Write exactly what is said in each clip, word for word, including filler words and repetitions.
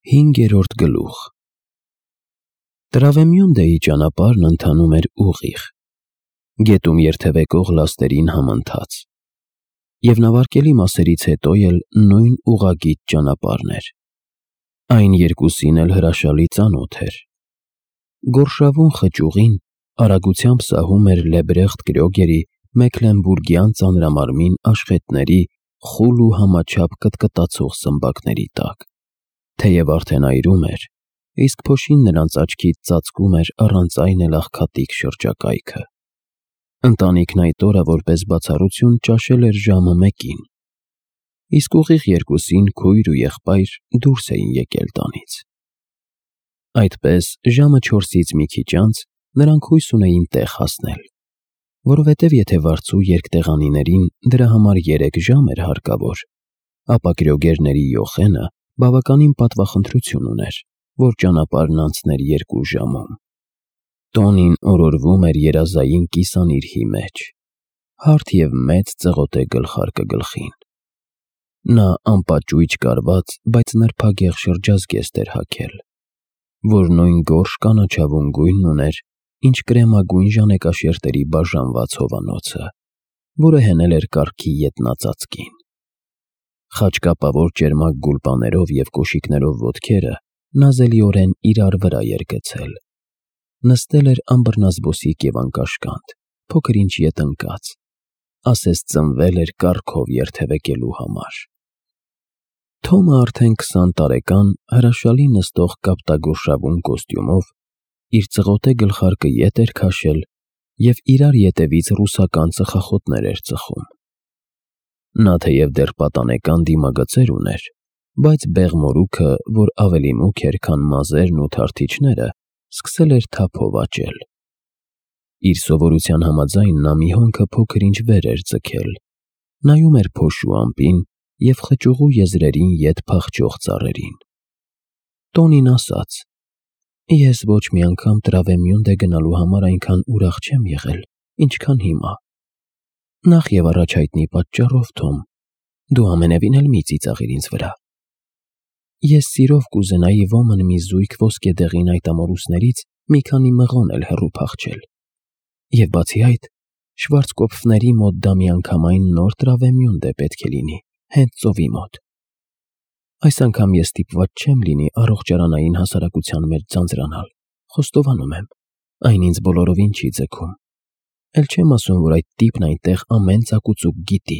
Հինգերորդ գլուխ Տրավեմյոնդեի ճանապարհն ընթանում էր ուղիղ, գետում երթևեկող լաստերին համընթաց, և նավարկելի մասերից հետո էլ նույն ուղղագիծ ճանապարհն էր, այն երկուսին էլ հրաշալի ծանոթ էր։ Գորշավուն խճուղին արագությամբ սահում էր Լեբրեխտ Կրյոգերի Մեքլենբուրգյան ծանրամարմին աշխատների խուլ ու համաչափ կտկտացող սմբակների տակ, թեև արդեն այրում էր, իսկ փոշին նրանց աչքից ծածկում էր առանց այն էլ աղքատիկ շրջակայքը։ Ընտանիքն այդ օրը որպես բացառություն ճաշել էր ժամը մեկին, իսկ ուղիղ երկուսին քույր ու եղբայր դուրս էին եկել տանից։ Այդպես ժամը չորսից մի քիչ անց նրանք հույս ունեին տեղ հասնել, որովհետև եթե վարձու երկտեղանիներին դրա համար երեք ժամ էր հարկավոր, ապա Կրյոգերների Յոխենը բավականին պատվախնդրություն ուներ, որ ճանապարհն անցներ երկու ժամում։ Տոնին օրորվում էր երազային կիսանիրհի մեջ, հարթ և մեծ ծղոտե գլխարկը գլխին։ Նա անպաճույճ կարված, բայց նրբագեղ շրջազգեստ էր հագել, որ նույն գորշ կանաչավուն գույնն ուներ, ինչ կրեմագույն ժանեկաշերտերի բաժանված հովանոցը, որը հենել էր կառքի ետնածածկին։ Խաչկապավոր ճերմակ գուլպաներով և կոշիկներով ոտքերը նազելիորեն իրար վրա էր գցել։ Նստել էր անբռնազբոսիկ և անկաշկանդ, փոքր-ինչ ետ ընկած, ասես ծնվել էր կառքով երթևեկելու համար։ Թոմը արդեն քսան տարեկան, հրաշալի նստող կապտագորշավուն կոստյումով իր ծղոտե գլխարկը ետ էր քաշել և իրար ետևից ռուսական ծխախոտներ էր ծխում։ Նա թեև դեռ պատանեկան դիմագծեր ուներ, բայց բեղմորուքը, որ ավելի մուգ էր, քան մազերն ու թարթիչները, սկսել էր թափով աճել։ Իր սովորության համաձայն նա մի հոնքը փոքր-ինչ վեր էր ձգել, նայում էր փոշու ամպին և խճուղու եզրերին ետ փախչող ծառերին։ Տոնին ասաց. «Ես ոչ մի անգամ Տրավեմյոնդե գնալու համար այնքան ուրախ չեմ եղել, ինչքան հիմա։ Նախ և առաջ հայտնի պատճառով, Թոմ, դու ամենևին էլ մի ծիծաղիր ինձ վրա։ Ես սիրով կուզենայի ոմն մի զույգ ոսկեդեղին այդ ամորուսներից մի քանի մղոն էլ հեռու փախչել։ Եվ բացի այդ, Շվարցկոպֆների մոտ դա միանգամայն նոր Տրավեմյոնդե պետք է լինի, հենց ծովի մոտ։ Այս անգամ ես ստիպված չեմ լինի առողջարանային հասարակության մեջ ձանձրանալ, խոստովանում եմ, այն ինձ բոլորովին չի ձգում։ Էլ չեմ ասում, որ այդ տիպն այնտեղ ամեն ծակուծուկ գիտի։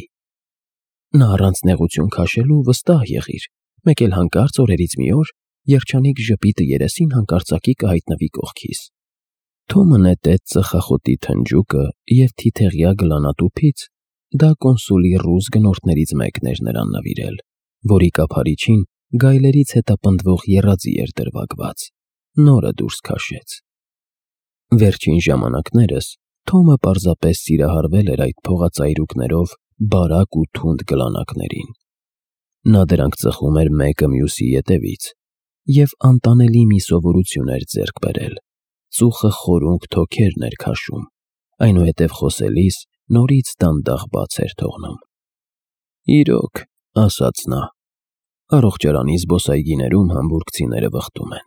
Նա առանց նեղություն քաշելու վստահ եղիր, մեկ էլ հանկարծ օրերից մի օր երջանիկ ժպիտը երեսին հանկարծակի կհայտնվի կողքիս»։ Թոմը նետեց ծխախոտի թնջուկը և թիթեղյա գլանատուփից, դա կոնսուլի ռուս գնորդներից մեկն էր նրան նվիրել, որի կափարիչին գայլերից հետապնդվող եռաձի էր դրվագված, նորը դուրս քաշեց։ Վերջին ժամանակներս Թոմը պարզապես սիրահարվել էր այդ փողածայրուկներով բարակ ու թունդ գլանակներին։ Նա դրանք ծխում էր մեկը մյուսի ետևից և անտանելի մի սովորություն էր ձեռք բերել. ծուխը խորունկ թոքերն էր քաշում, այնուհետև խոսելիս նորից դանդաղ բաց էր թողնում։ «Իրոք», ասաց նա, «առողջարանի զբոսայգիներում համբուրգցիները վխտում են։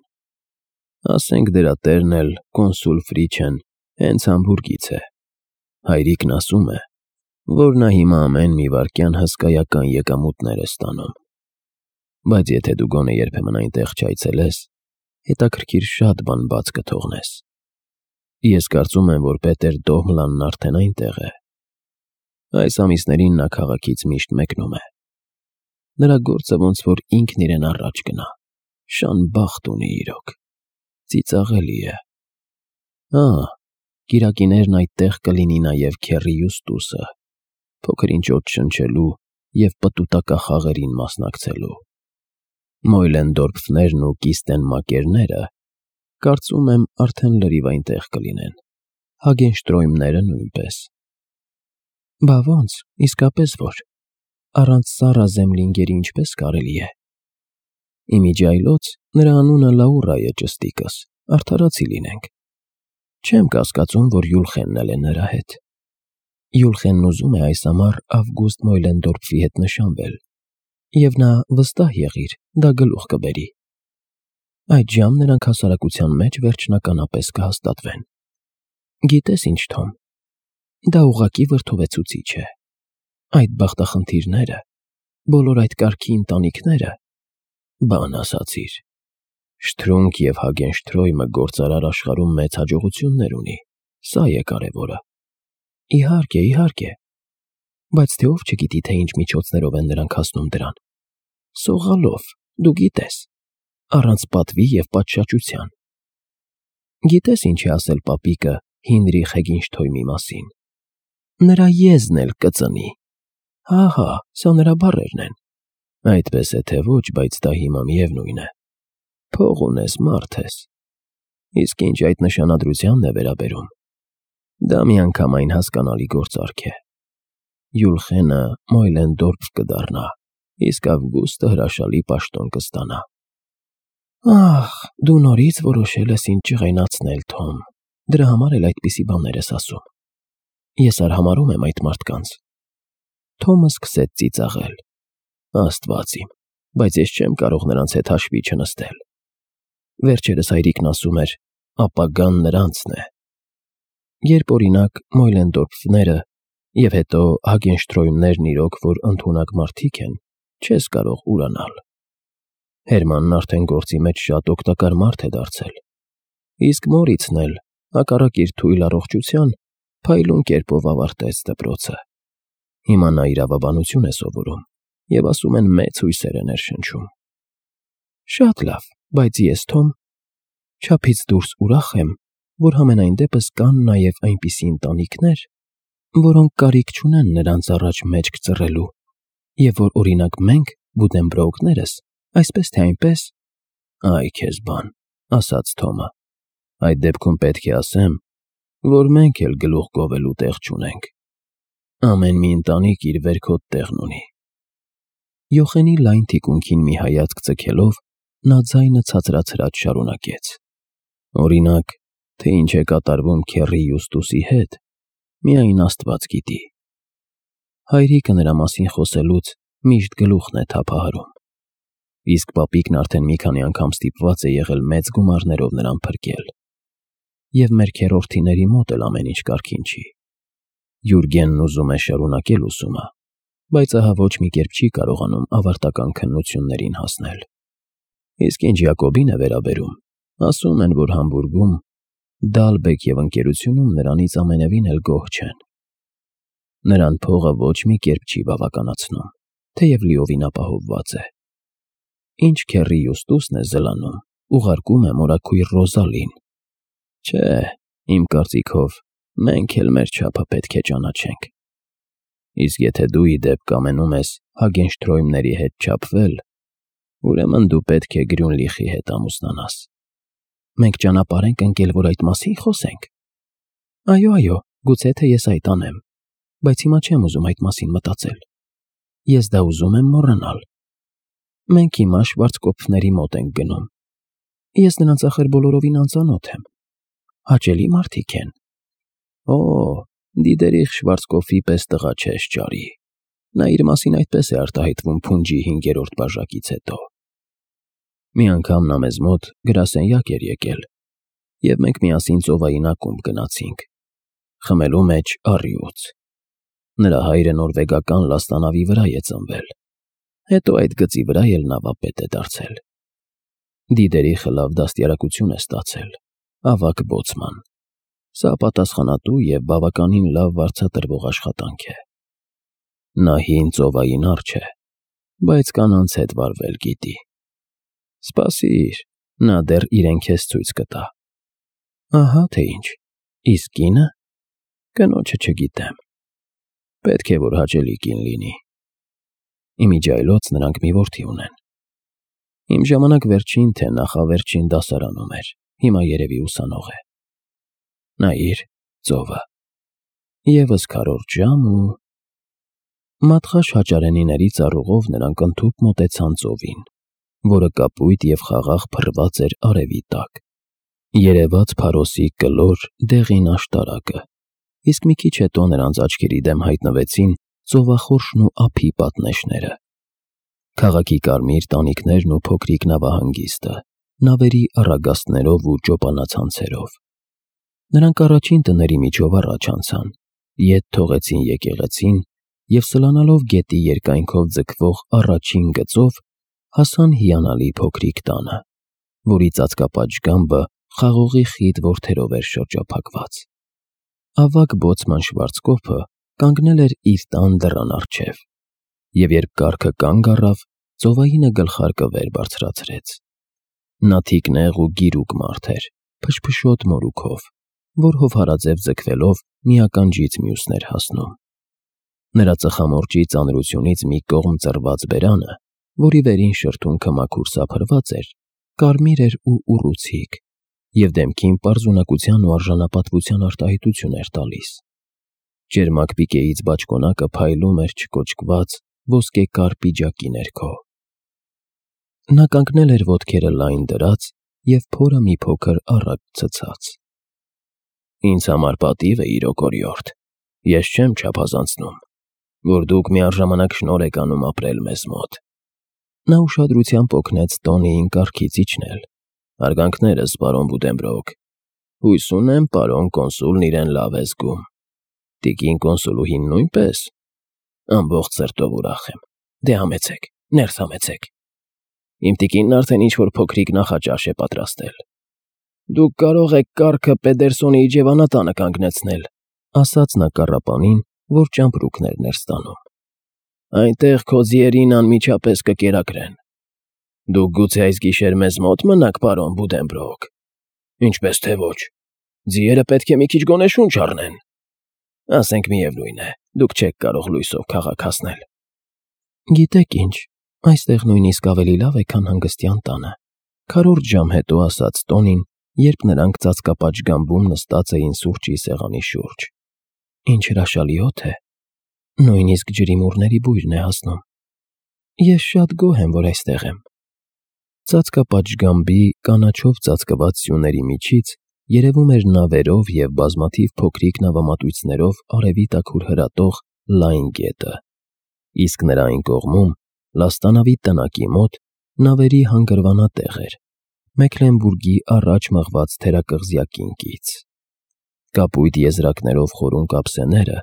Ասենք դրա տերն էլ, կոնսուլ Ֆրիչեն, հենց Համբուրգից է։ Հայրիկն ասում է, որ նա հիմա ամեն մի վայրկյան հսկայական եկամուտներ է ստանում։ Բայց եթե դու գոնե երբեմն այնտեղ չայցելես, հետաքրքիր շատ բան բաց կթողնես։ Ես կարծում եմ, որ Պետեր Դոհմլանն արդեն այնտեղ է։ Այս ամիսներին նա քաղաքից միշտ մեկնում է։ Նրա գործը ոնց որ ինքն իրեն առաջ գնա, շան բախտ ունի իրոք, ծիծաղելի է։ Հա, կիրակիներն այդտեղ կլինի նաև Քեռի Յուստուսը, փոքր-ինչ օդ շնչելու և պտուտակախաղերին մասնակցելու։ Մոյլենդորֆներն ու Կիստենմակերները, կարծում եմ, արդեն լրիվ այնտեղ կլինեն, Հագենշտրոյմները նույնպես։ Բա ոնց, իսկապես որ, առանց Սառա Զեմլինգերի ինչպես կարելի է։ Իմիջիայլոց նրա անունը Լաուրա է, ճստիկս, արդարացի լինենք։ Չեմ կասկածում, որ Յուլխենն էլ է նրա հետ։ Յուլխենն ուզում է այս ամառ Ավգուստ Մոյլենդորֆի հետ նշանվել, և նա, վստահ եղիր, դա գլուխ կբերի։ Այդժամ նրանք հասարակության մեջ վերջնականապես կհաստատվեն։ Գիտես ինչ, Թոմ, դա ուղղակի վրդովեցուցիչ է։ Այդ բախտախնդիրները, բոլոր այդ կարգի ընտանիքները, բան ասացիր։ Շտրունգ և Հագենշտրոյմը գործարար աշխարհում մեծ հաջողություններ ունի, սա է կարևորը։ Իհարկե, իհարկե, բայց թե ով չգիտի, թե ինչ միջոցներով են նրանք հասնում դրան։ Սողալով, դու գիտես, առանց պատվի և պատշաճության։ Գիտես ինչ է ասել պապիկը Հինրիխ Հեգինշթոյմի մասին։ Նրա եզն էլ կծնի։ Հա, սա նրա բառերն են։ Այդպես է թե ոչ, բայց դա հիմա միևնույն է։ Փող ունես, մարդ ես։ Իսկ ինչ այդ նշանադրությանն է վերաբերում, դա միանգամայն հասկանալի գործարք է։ Յուլխենը Մոյլենդորֆ կդառնա, իսկ Ավգուստը հրաշալի պաշտոն կստանա։ Ահ, դու նորից որոշել ես ինձ ջղայնացնել, Թոմ, դրա համար էլ այդպիսի բաներ ես ասում։ Ես արհամարհում եմ այդ մարդկանց։ Թոմը սկսեց ծիծաղել։ Աստված իմ, բայց ես չեմ կարող նրանց հետ հաշվի չնստել։ Վերջերս հայրիկն ասում էր, ապագան նրանցն է։ Երբ օրինակ Մոյլենդորֆները և հետո Հագենշտրոյմներն իրոք որ ընդունակ մարդիկ են, չես կարող ուրանալ։ Հերմանն արդեն գործի մեջ շատ օգտակար մարդ է դարձել։ Իսկ Մորիցն էլ, հակառակ իր թույլ առողջության, փայլուն կերպով ավարտեց դպրոցը։ Հիմա նա իրավաբանություն է սովորում և ասում են մեծ հույսեր է ներշնչում։ Շատ լավ, բայց ես, Թոմ, չափից դուրս ուրախ եմ, որ համենայն դեպս կան նաև այնպիսի ընտանիքներ, որոնք կարիք չունեն նրանց առաջ մեջք ծռելու, և որ, օրինակ, մենք, Բուդենբրոուկներս, այսպես թե այնպես… Այ քեզ բան, ասաց Թոմը, այդ դեպքում պետք է ասեմ, որ մենք էլ գլուխ գովելու տեղ չունենք։ Ամեն մի ընտանիք իր վերքոտ տեղն ունի։ Յոխենի լայն թիկունքին մի հայացք ձգելով, նա ձայնը ցածրացրած շարունակեց. Օրինակ, թե ինչ է կատարվում քեռի Յուստուսի հետ, միայն Աստված գիտի։ Հայրիկը նրա մասին խոսելուց միշտ գլուխն է թափահարում։ Իսկ պապիկն արդեն մի քանի անգամ ստիպված է եղել մեծ գումարներով նրան փրկել։ Եվ մեր քեռորդիների մոտ էլ ամեն ինչ կարգին չի։ Յուրգենն ուզում է շարունակել ուսումը, բայց ահա ոչ մի կերպ չի կարողանում ավարտական քննություններին հասնել։ Իսկ ինչ Յակոբին է վերաբերում, ասում են, որ Համբուրգում, Դալբեկ և ընկերությունում նրանից ամենևին էլ գոհ չեն։ Նրան փողը ոչ մի կերպ չի բավականացնում, թեև լիովին ապահովված է։ Ինչ քեռի Յուստուսն է զլանում, ուղարկում է մորաքույր Ռոզալին։ Չէ, իմ կարծիքով, մենք էլ մեր չափը պետք է ճանաչենք։ Իսկ եթե դու ի դեպ կամենում ես Հագենշտրոյմների հետ չափվել, ուրեմն դու պետք է Գրյունլիխի հետ ամուսնանաս։ Մենք ճանապարհ ենք ընկել, որ այդ մասին խոսենք։ Այո, այո, գուցե թե ես այդ անեմ, բայց հիմա չեմ ուզում այդ մասին մտածել։ Ես դա ուզում եմ մոռանալ։ Մենք հիմա Շվարցկոպֆների մոտ ենք գնում։ Ես նրանց ախր բոլորովին անծանոթ եմ։ Հաճելի մարդիկ են։ Օ, Դիդերիխ Շվարցկոֆի պես տղա չես ճարի։ Նա իր մասին այդպես է արտահայտվում Փունջի հինգերորդ բաժակից հետո։ Մի անգամ նա մեզ մոտ գրասենյակ էր եկել, և մենք միասին ծովային ակումբ գնացինք։ Խմելու մեջ առյուծ։ Նրա հայրը նորվեգական լաստանավի վրա է ծնվել։ Հետո այդ գծի վրա էլ նավապետ է դարձել։ Դիդերիխը լավ դաստիարակություն է ստացել, ավագ բոցման։ Սա պատասխանատու և բավականին լավ վարձատրվող աշխատանք է։ Նա հին ծովային արջ է, բայց կանանց հետ վարվել գիտի։ Սպասիր, նա դեռ իրեն քեզ ցույց կտա։ Ահա թե ինչ, իսկ կինը… Կնոջը չգիտեմ։ Պետք է որ հաճելի կին լինի։ Իմիջիայլոց նրանք մի որդի ունեն։ Իմ ժամանակ վերջին թե նախավերջին դասարանում էր, հիմա երևի ուսանող է։ Նայիր, ծովը։ Եվս քառորդ ժամ ու… Մատղաշ հաճարենիների ծառուղով նրանք ընդհուպ մոտեցան ծովին, որը կապույտ և խաղաղ փռված էր արևի տակ։ Երևաց Փարոսի կլոր, դեղին աշտարակը, իսկ մի քիչ հետո նրանց աչքերի դեմ հայտնվեցին ծովախորշն ու ափի պատնեշները, քաղաքի կարմիր տանիքներն ու փոքրիկ նավահանգիստը, նավերի առագաստներով ու ճոպանացանցերով։ Նրանք առաջին տների միջով առաջ անցան, ետ թողեցին եկեղեցին և սլանալով գետի երկայնքով ձգվող առաջին գծով հասան հիանալի փոքրիկ տանը, որի ծածկապատշգամբը խաղողի խիտ որդերով էր շրջափակված։ Ավագ բոցման Շվարցկոփը կանգնել էր իր տան դռան առջև, և երբ կառքը կանգ առավ, ծովայինը գլխարկը վեր բարձրացրեց։ Նա թիկնեղ ու գիրուկ մարդ էր, փշփշոտ մորուքով, որ հովհարաձև ձգվելով մի ականջից մյուսն էր հասնում։ Նրա ծխամորճի ծանրությունից մի կողմ ծռված բերանը, որի վերին շրթունքը մաքուր սափրված էր, կարմիր էր ու ուռուցիկ, և դեմքին պարզունակության ու արժանապատվության արտահայտություն էր տալիս։ Ճերմակ պիկեից բաճկոնակը փայլում էր չկոճկված ոսկեկար պիջակի ներքո։ Նա կանգնել էր ոտքերը լայն դրած և փորը մի փոքր առաջ ցցած։ «Ինձ համար պատիվ է, իրոք օրիորդ, ես չեմ չափազանցնում, որ դուք միառժամանակ շնորհ եք անում ապրել մեզ մոտ»։ Նա ուշադրությամբ օգնեց Տոնիին կառքից իջնել։ «Հարգանքներս, պարոն Բուդենբրոկ, հույս ունեմ, պարոն կոնսուլն իրեն լավ է զգում։ Տիկին կոնսուլուհին նույնպե՞ս։ Ամբողջ սրտով ուրախ եմ։ Դե համեցեք, ներս համեցեք։ Իմ տիկինն արդեն ինչ-որ փոքրիկ նախաճաշ է պատրաստել։ Դուք կարող եք կառքը Պեդերսոնի իջևանատանը կանգնեցնել», ասաց նա կառապանին, որ ճամպրուկն էր ներս տանում։ «Այնտեղ քո ձիերին անմիջապես կկերակրեն։ Դուք գուցե այս գիշեր մեզ մոտ մնաք, պարոն Բուդենբրոկ։ Ինչպես թե ոչ, ձիերը պետք է մի քիչ գոնե շունչ առնեն։ Ասենք միևնույն է, դուք չեք կարող լույսով քաղաք հասնել»։ «Գիտեք ինչ, այստեղ նույնիսկ ավելի լավ է, քան հանգստյան տանը», քառորդ ժամ հետո ասաց Տոնին, երբ նրանք ծածկապատշգամբում նստած էին սուրճի սեղանի շուրջ։ «Ինչ հրաշալի օդ է։ Նույնիսկ ջրիմուռների բույրն է հասնում։ Ես շատ գոհ եմ, որ այստեղ եմ»։ Ծածկապատշգամբի կանաչով ծածկված սյուների միջից երևում էր նավերով և բազմաթիվ փոքրիկ նավամատույցներով արևի տաքուր հրատող լայն գետը, իսկ նրա այն կողմում, լաստանավի տնակի մոտ, նավերի հանգրվանատեղ էր, Մեքլենբուրգի առաջ մղված թերակղզյակին կից։ Կապույտ եզրակներով խորուն կապսեները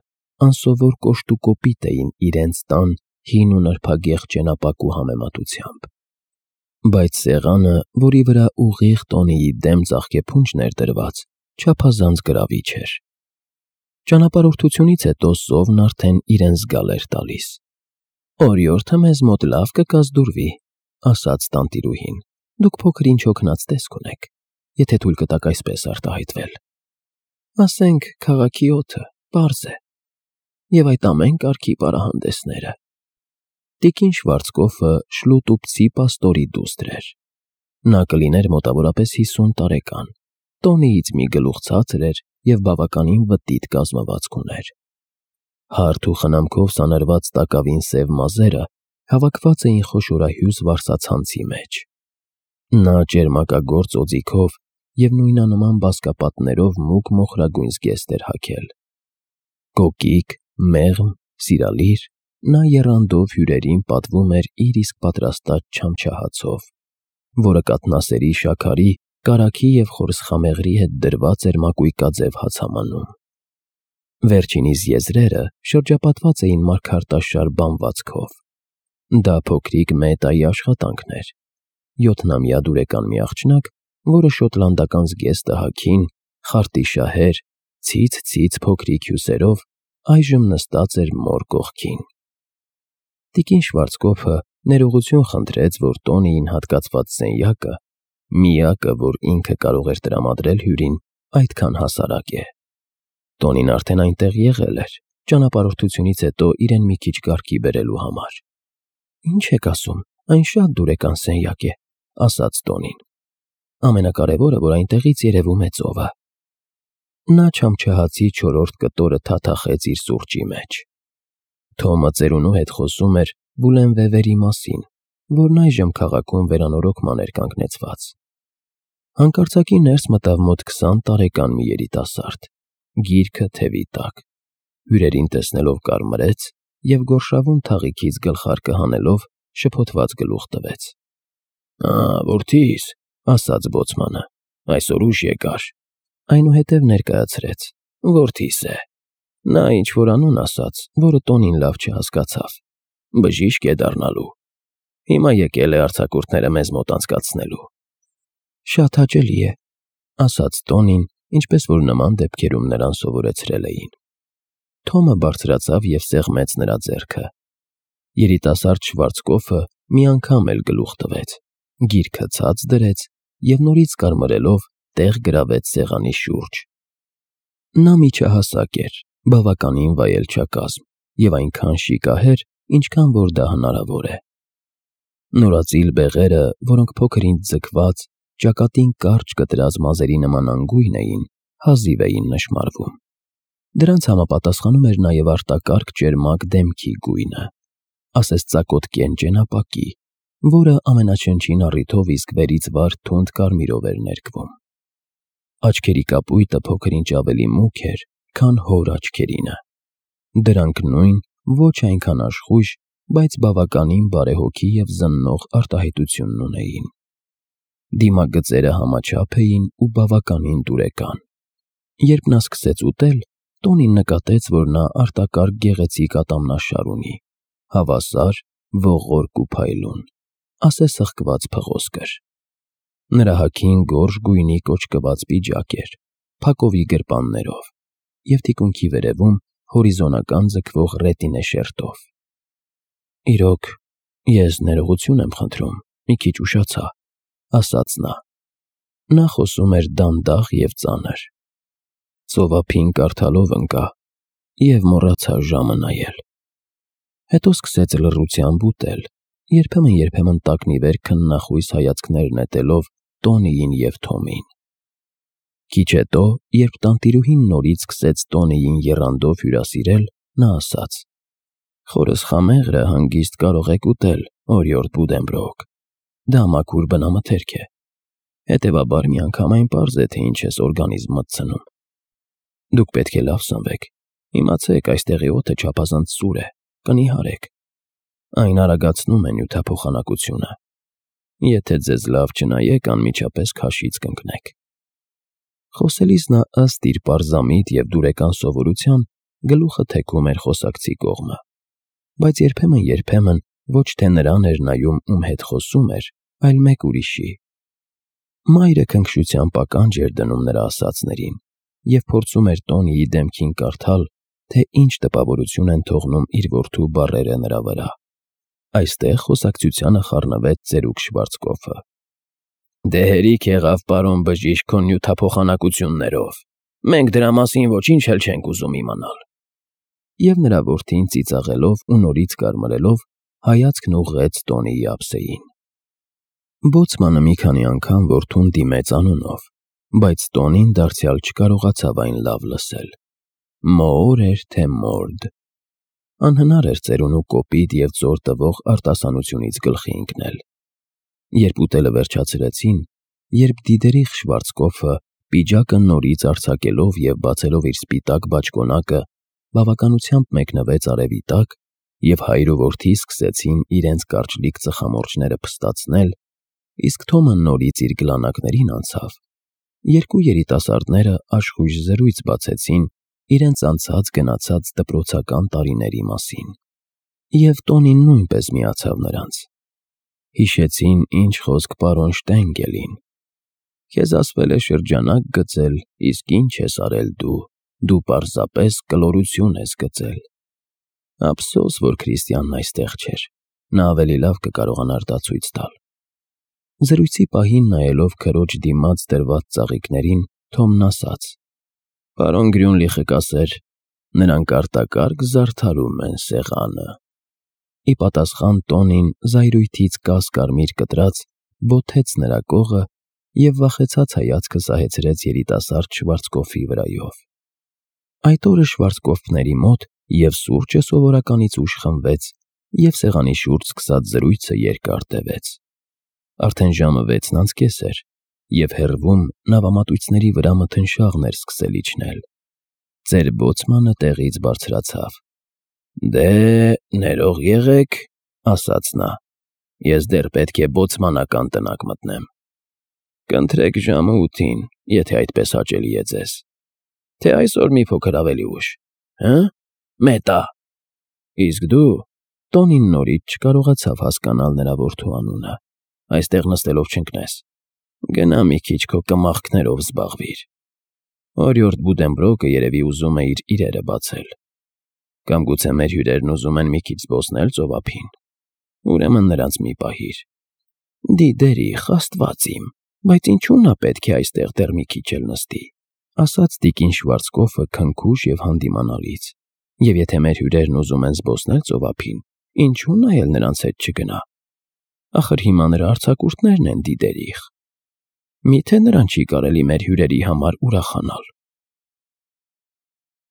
անսովոր կոշտուկոպիտ էին իրենց տան հին ու նրբագեղ ճենապակու համեմատությամբ։ Բայց սեղանը, որի վրա ուղիղ Տոնիի դեմ ծաղկեփունջն էր դրված, չափազանց գրավիչ էր։ Ճանապարհորդությունից հետո սովն արդեն իրեն զգալ էր տալիս։ «Օրիորդը մեզ մոտ լավ կկազդուրվի», ասաց տանտիրուհին։ «Դուք փոքր-ինչ հոգնած տեսք ունեք, եթե թույլ կտաք այսպես արտահայտվել։ Ասենք, քաղաքի օդը պարզ է, և այդ ամեն կարգի պարահանդեսները»։ Տիկին Շվարցկոֆը Շլուտուփցի պաստորի դուստր էր։ Նա կլիներ մոտավորապես հիսուն տարեկան, Տոնիից մի գլուխ ցածր էր և բավականին վտիտ կազմվածք ուներ։ Հարթ ու խնամքով սանրված տակավին սև մազերը հավաքված էին խոշորահյուս վարսացանցի մեջ։ Նա ճերմակագործ օձիքով և նույնանման բազկապատներով մուգ մոխրագույն զգեստ էր հագել։ Կոկիկ, մեղմ, սիրալիր, նա եռանդով հյուրերին պատվում էր իր իսկ պատրաստած չամչահացով, որը կաթնասերի շաքարի, կարագի և խորսխամեղրի հետ դրված էր մակույկաձև հացամանում։ Վերջինիս եզրերը շրջապատված էին մարգարտաշար բանվածքով։ Դա փոքրիկ Մետայի աշխատանքն էր։ Յոթնամյա դուրեկան մի աղջնակ, որը շոտլանդական զգեստը հագին, խարտիշահեր, ցից֊ցից փոքրիկ հյուսերով այժմ նստած էր մոր կողքին։ Տիկին Շվարցկոփը ներողություն խնդրեց, որ Տոնիին հատկացված սենյակը, միակը, որ ինքը կարող էր տրամադրել հյուրին, այդքան հասարակ է։ Տոնին արդեն այնտեղ եղել էր, ճանապարհորդությունից հետո իրեն մի քիչ կարգի բերելու համար։ «Ինչ եք ասում, այն շատ դուրեկան սենյակ է», ասաց Տոնին։ «Ամենակարևորը, որ այնտեղից երևում է ծովը»։ Նա չամչահացի չորրորդ կտորը թաթախեց իր սուրճի մեջ։ Թոմը ծերունու հետ խոսում էր Վուլենվևերի մասին, որն այժմ քաղաքում վերանորոգման էր կանգնեցված։ Հանկարծակի ներս մտավ մոտ քսան տարեկան մի երիտասարդ, գիրքը թևի տակ, հյուրերին տեսնելով կարմրեց և գորշավուն թաղիքից գլխարկը հանելով շփոթված գլուխ տվեց։ «Ա, որդիս, ասաց բոցմանը, այսօր ուշ եկար։ Այնուհետև ներկայացրեց. Որդիս է։ Նա ինչ-որ անուն ասաց, որը Տոնին լավ չհասկացավ։ Բժիշկ է դառնալու։ Հիմա եկել է արձակուրդները մեզ մոտ անցկացնելու։ Շատ հաճելի է, ասաց Տոնին, ինչպես որ նման դեպքերում նրան սովորեցրել էին։ Թոմը բարձրացավ և սեղմեց նրա ձեռքը։ Երիտասարդ Շվարցկոֆը մի անգամ էլ գլուխ տվեց, գիրքը ցած դրեց և նորից կարմրելով տեղ գրավեց սեղանի շուրջ։ Նա միջահասակ էր, բավականին վայելչակազմ և այնքան շիկահեր, ինչքան որ դա հնարավոր է։ Նորածիլ բեղերը, որոնք փոքր ինձ ձգված, ճակատին կարճ կտրած մազերի նման անգույն էին, հազիվ էին նշմարվում։ Դրանց համապատասխանում էր նաև արտակարգ ճերմակ դեմքի գույնը, ասես ծակոտ կեն ճենապակի, որը ամենաչնչին առիթով իսկ վերից վար թունդ կարմիրով էր ներկվում։ Աչքերի կապույտը փոքր-ինչ ավելի մուգ էր, քան հոր աչքերինը։ Դրանք նույն, ոչ այնքան աշխույժ, բայց բավականին բարեհոգի և զննող արտահայտությունն ունեին։ Դիմագծերը համաչափ էին ու բավականին դուրեկան։ Երբ նա սկսեց ուտել, Տոնին նկատեց, որ նա արտակարգ գեղեցիկ ատամնաշար ունի, հավասար, ողորկ ու փայլուն, ասես հղկված փղոսկր։ Նրա հագին գորշ գույնի կոճկված պիջակ էր, փակովի գրպաններով և թիկունքի վերևում հորիզոնական ձգվող ռետինե շերտով։ Իրոք, ես ներողություն եմ խնդրում, մի քիչ ուշացա, ասաց նա։ Նա խոսում էր դանդաղ և ծանր։ Ծովափին կարդալով ընկա և մոռացա ժամը նայել։ Հետո սկսեց լռությամբ ուտել, երբեմն-երբեմն տակնիվեր քննախույս հայացքներ նետելով Տոնիին և Թոմին։ Քիչ հետո, երբ տանտիրուհին նորից սկսեց Տոնիին եռանդով հյուրասիրել, նա ասաց. Խորս խամեղրը հանգիստ կարող եք ուտել, օրիորդ Բուդենբրոկ։ Դա մաքուր բնամթերք է։ Հետևաբար միանգամայն պարզ է, թե ինչ ես օրգանիզմ մտցնում։ Դուք պետք է լավ սնվեք։ Իմացեք, այստեղի օդը չափազանց սուր է, կնիհարեք։ Այն արագացնում է նյութափոխանակությունը։ Եթե ձեզ լավ չնայեք, անմիջապես քաշից կընկնեք։ Խոսելիս նա ըստ իր պարզամիտ և դուրեկան սովորության գլուխը թեքում էր խոսակցի կողմը, բայց երբեմն-երբեմն ոչ թե նրան էր նայում, ում հետ խոսում էր, այլ մեկ ուրիշի։ Մայրը քնքշությամբ ականջ էր դնում նրա ասածներին և փորձում էր Տոնիի դեմքին կարդալ, թե ինչ տպավորություն են թողնում իր որդու բառերը նրա վրա։ Այստեղ խոսակցությանը խառնվեց ծերուկ Շվարցկոֆը։ Դե հերիք եղավ, պարոն բժիշկ, քո նյութափոխանակություններով։ Մենք դրա մասին ոչինչ էլ չենք ուզում իմանալ։ Եվ նրա որդին ծիծաղելով ու նորից կարմրելով հայացքն ուղղեց Տոնիի ափսեին։ Բոցմանը մի քանի անգամ որդուն դիմեց անունով, բայց Տոնին դարձյալ չկարողացավ այն լավ լսել։ Մոոր էր, թե մորդ։ Անհնար էր ծերունու կոպիտ և ծոր տվող արտասանությունից գլխի ընկնել։ Երբ ուտելը վերջացրեցին, երբ դիդերիխ Շվարցկոֆը պիջակը նորից արձակելով և բացելով իր սպիտակ բաճկոնակը բավականությամբ մեկնվեց արևի տակ, և հայր ու որդի սկսեցին իրենց կարճլիկ ծխամորճները փստացնել, իսկ Թոմը նորից իր գլանակներին անցավ, երկու երիտասարդները աշխույժ զրույց բացեցին իրենց անցած-գնացած դպրոցական տարիների մասին։ Եվ Տոնին նույնպես միացավ նրանց։ Հիշեցին, ինչ խոսք պարոն Շտենգելին. Քեզ ասվել է շրջանակ գծել, իսկ ինչ ես արել դու, դու պարզապես կլորություն ես գծել։ Ափսոս, որ Քրիստիանն այստեղ չէր, նա ավելի լավ կկարողանար դա ցույց տալ։ Զրույցի պահին նայելով քրոջ դիմաց դրված ծաղիկներին, Թոմն ասաց. Պարոն Գրյունլիխը կասեր, նրանք արտակարգ զարդարում են սեղանը։ Ի պատասխան Տոնին զայրույթից կաս-կարմիր կտրած բոթեց նրա կողը և վախեցած հայացքը սահեցրեց երիտասարդ Շվարցկոֆի վրայով։ Այդ օրը Շվարցկոֆների մոտ և սուրճը սովորականից ուշ խմվեց, և սեղանի շուրջ սկսած զրույցը երկար տևեց։ Արդեն ժամը վեցն անց կես էր, և հեռվում նավամատույցների վրա մթնշաղն էր սկսել իջնել։ Ծեր բոցմանը տեղից բարձրացավ։ Դե, ներող եղեք, ասաց նա, ես դեռ պետք է բոցմանական տնակ մտնեմ։ Կընտրեք ժամը ութին, եթե այդպես հաճելի է ձեզ, թե այսօր մի փոքր ավելի ուշ, հը՞, Մետա։ Իսկ դու… Տոնին նորից չկարողացավ հասկանալ նրա որդու անունը։ Այստեղ նստելով չընկնես։ Գնա մի քիչ քո կմախքներով զբաղվիր։ Օրիորդ Բուդենբրոկը երևի ուզում է իր իրերը բացել։ Կամ գուցե մեր հյուրերն ուզում են մի քիչ զբոսնել ծովափին։ Ուրեմն նրանց մի պահիր։ Դիդերիխ, աստված իմ, բայց ինչու նա պետք է այստեղ դեռ մի քիչ էլ նստի, ասաց տիկին Շվարցկոֆը քնքուշ և հանդիմանալից, և եթե մեր հյուրերն ուզում են զբոսնել ծովափին, ինչու նա էլ նրանց հետ չգնա։ Ախր հիմա նրա արձակուրդներն են, Դիդերիխ։ Մի՞թե նրան չի կարելի մեր հյուրերի համար ուրախանալ։